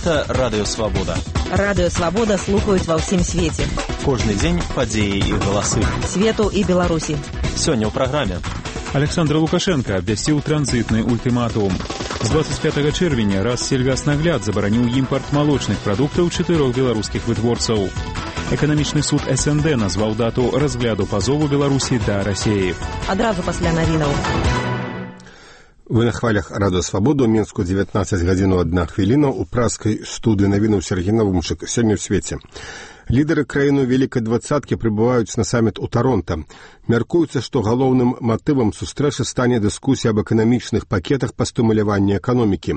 Гэта Радыё Свабода. Радыё Свабода слухаюць ва ўсім свеце. Кожны дзень падзеі і галасы. Свету і Беларусі. Сёння ў праграме. Александр Лукашенко абвясціў транзітны ультыматум. З 25 чэрвеня Рассельгаснагляд забараніў імпарт малочных прадуктаў 4 беларускіх вытворцаў. Эканамічны суд СНД назваў дату разгляду пазову Беларусі да Расіі. Адразу пасля навінаў. Вы на хвалях Радыё Свабоду, Мінску 19 гадзін 1 хвіліна, у праскай студыі навінаў Сергей Навумчык. Сёння ў свеце. Лідары краіны Вялікай двадцаткі прыбываюць на саміт у Таронта. Мяркуецца, што галоўным матывам сустрэчы стане дыскусія аб эканамічных пакетах па стымуляванні эканомікі.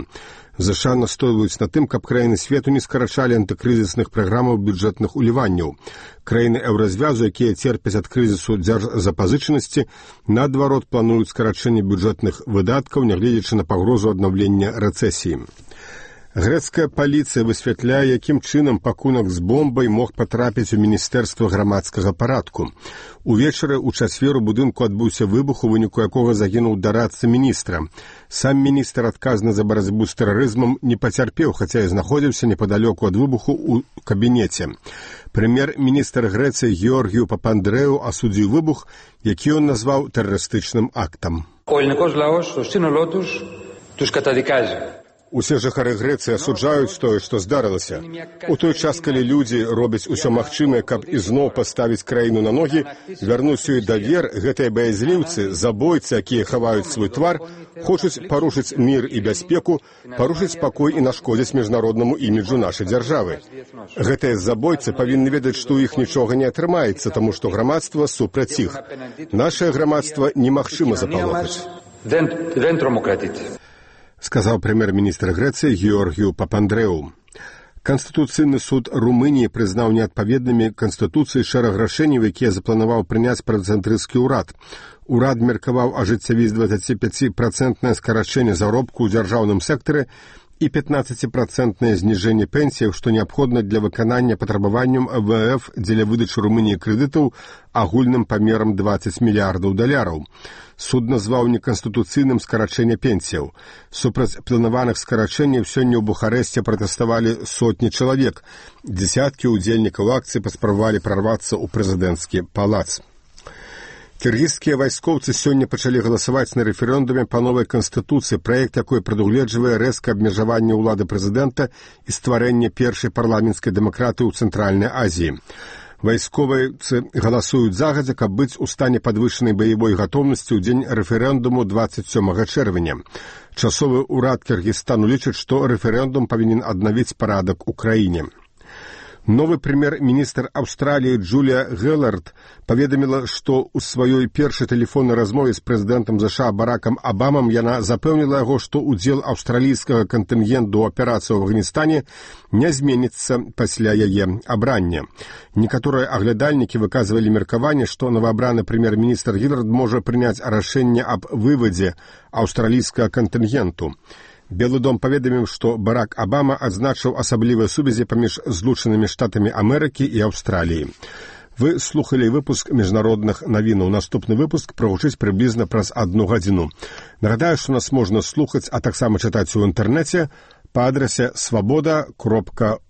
ЗША настойваюць на тым, каб краіны свету не скарачалі антыкрызісных праграмаў бюджэтных уліванняў. Краіны еўразвязу, якія церпяць ад крызісу дзяржзапазычанасці, наадварот плануюць скарачэнне бюджэтных выдаткаў, нягледзячы на пагрозу аднаўлення рэцэсіі. Грэцкая паліцыя высвятляе, якім чынам пакунак з бомбай мог патрапіць у Міністэрства грамадскага парадку. Увечары ў чацвер у будынку адбыўся выбух, у выніку якога загінуў дарадца міністра. Сам міністр, адказны за барацьбу з тэрарызмам, не пацярпеў, хаця і знаходзіўся непадалёку ад выбуху ў кабінеце. Прэм'ер-міністр Грэцыі Георгію Папандрэу асудзіў выбух, які ён назваў тэрарыстычным актам. Усе жыхары Грэцыі асуджаюць тое, што здарылася. У той час, калі людзі робяць усё магчымае, каб ізноў паставіць краіну на ногі, вярнуць ёй давер, гэтыя баязліўцы, забойцы, якія хаваюць свой твар, хочуць парушыць мір і бяспеку, парушыць спакой і нашкодзіць міжнароднаму іміджу нашай дзяржавы. Гэтыя забойцы павінны ведаць, што ў іх нічога не атрымаецца, таму што грамадства супраць іх. Нашае грамадства немагчыма запалохаць. Сказаў прэм'ер-міністр Грэцыі Георгію Папандрэу. Канстытуцыйны суд Румыніі прызнаў неадпаведнымі Канстытуцыі шэраг рашэнняў, якія запланаваў прыняць працэнтрысцкі ўрад. Урад меркаваў ажыццявіць 25% скарачэнне заробку ў дзяржаўным сектары і 15% зніжэнне пенсіяў, што неабходна для выканання патрабаванням МВФ дзеля выдачы Румыніі крэдытаў агульным памерам $20 мільярдаў. Суд назваў неканстытуцыйным скарачэнне пенсіяў. Супраць планаваных скарачэнняў сёння ў Бухарэсце пратэставалі сотні чалавек. Дзесяткі ўдзельнікаў акцыі паспрабавалі прарвацца ў прэзідэнцкі палац. Кіргізскія вайскоўцы сёння пачалі галасаваць на рэферэндуме па новай канстытуцыі, праект якой прадугледжвае рэзкае абмежаванне ўлады прэзідэнта і стварэнне першай парламенцкай дэмакратыі ў Цэнтральнай Азіі. Вайсковайцы галасуюць загадзя, каб быць у стане падвышанай баявой гатоўнасці ў дзень рэферэндуму 27 чэрвеня. Часовы ўрад Кіргізстану лічыць, што рэферэндум павінен аднавіць парадак у краіне. Новы прэм'ер-міністр Аўстраліі Джулія Гілард паведаміла, што ў сваёй першай тэлефоннай размове з прэзідэнтам ЗША Баракам Абамам яна запэўніла яго, што ўдзел аўстралійскага кантынгенту ў аперацыі ў Афганістане не зменіцца пасля яе абрання. Некаторыя аглядальнікі выказвалі меркаванне, што новаабраны прэм'ер-міністр Гілард можа прыняць рашэнне аб вывадзе аўстралійскага кантынгенту. Белы дом паведаміў, што Барак Абама адзначыў асаблівыя сувязі паміж Злучанымі Штатамі Амерыкі і Аўстраліі. Вы слухалі выпуск міжнародных навінаў. Наступны выпуск прагучыць прыблізна праз 1 гадзіну. Нагадаю, што нас можна слухаць, а таксама чытаць у інтэрнэце па адрасе swaboda.org.